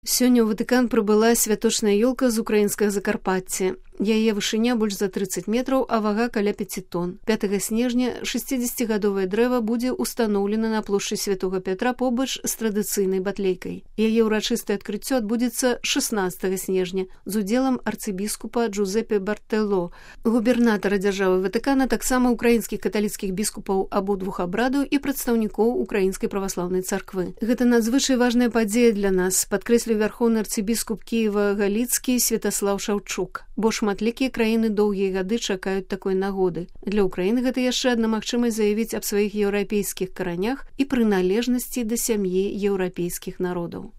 Сёння ў Ватыкан прыбыла святочная ёлка з украінскага Закарпатця. Яе вышыня больш за 30 метраў, а вага каля 5 тонн. 5 снежня 60-гадовае дрэва будзе ўстаноўлена на плошчы Святога Пятра побач з традыцыйнай батлейкай. Яе ўрачыстае адкрыццё адбудзецца 16 снежня з удзелам арцыбіскупа Джузепе Бартэло, губернатара дзяржавы Ватыкана, таксама украінскіх каталіцкіх біскупаў абодвух абрадаў і прадстаўнікоў Украінскай праваслаўнай царквы. Гэта надзвычай важная падзея для нас, падкрэсліў вярхоўны арцыбіскуп Кіева-Галіцкі Святаслаў Шаўчук, бо шматлікія краіны доўгія гады чакаюць такой нагоды. Для Украіны гэта яшчэ адна магчымасць заявіць аб сваіх еўрапейскіх каранях і прыналежнасці да сям'і еўрапейскіх народаў.